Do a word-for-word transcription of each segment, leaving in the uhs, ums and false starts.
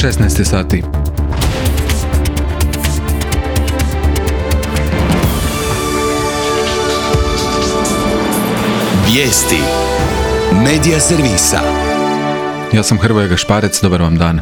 šesnaest sati. Vijesti Medija servisa. Ja sam Hrvoje Gašparec, dobar vam dan.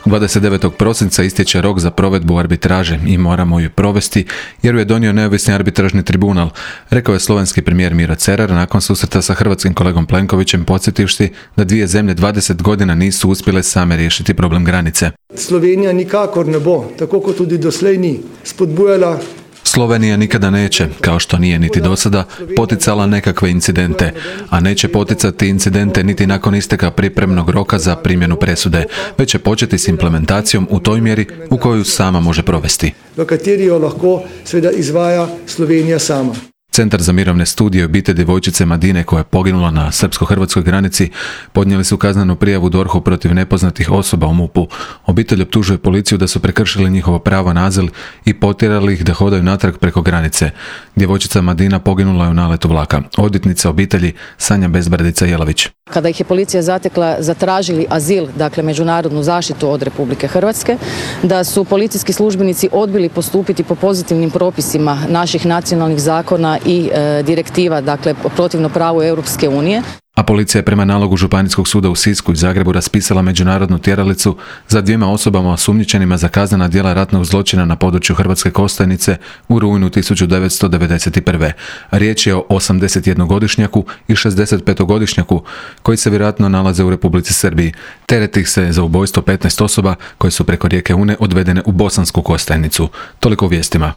dvadeset devetog prosinca istječe rok za provedbu arbitraže i moramo ju provesti jer ju je donio neovisni arbitražni tribunal, rekao je slovenski premijer Miro Cerar nakon susreta sa hrvatskim kolegom Plenkovićem, podsjetivši da dvije zemlje dvadeset godina nisu uspjele same riješiti problem granice. Slovenija nikakor ne bo, tako kot tudi doslej ni, spodbujala Slovenija nikada neće, kao što nije niti do sada, poticala nekakve incidente, a neće poticati incidente niti nakon isteka pripremnog roka za primjenu presude, već će početi s implementacijom u toj mjeri u koju sama može provesti. v kateri jo lahko seveda izvaja Slovenija sama. Centar za mirovne studije obitelji djevojčice Madine koja je poginula na srpsko-hrvatskoj granici podnijeli su kaznenu prijavu D O R H-u protiv nepoznatih osoba u M U P-u. Obitelj optužuje policiju da su prekršili njihovo pravo na azil i potjerali ih da hodaju natrag preko granice. Djevojčica Madina poginula je u naletu vlaka. Odvjetnica obitelji Sanja Bezbradica-Jelavić. Kada ih je policija zatekla, zatražili azil, dakle međunarodnu zaštitu od Republike Hrvatske, da su policijski službenici odbili postupiti po pozitivnim propisima naših nacionalnih zakona i e, direktiva, dakle protivno pravu Europske unije. A policija je prema nalogu Županijskog suda u Sisku i Zagrebu raspisala međunarodnu tjeralicu za dvijema osobama osumnjičenima za kaznena djela ratnog zločina na području Hrvatske Kostajnice u rujnu tisuću devetsto devedeset prve. Riječ je o osamdesetjednogodišnjaku i šezdesetpetogodišnjaku koji se vjerojatno nalaze u Republici Srbiji. Tereti ih se za ubojstvo petnaest osoba koje su preko rijeke Une odvedene u Bosansku Kostajnicu. Toliko u vijestima.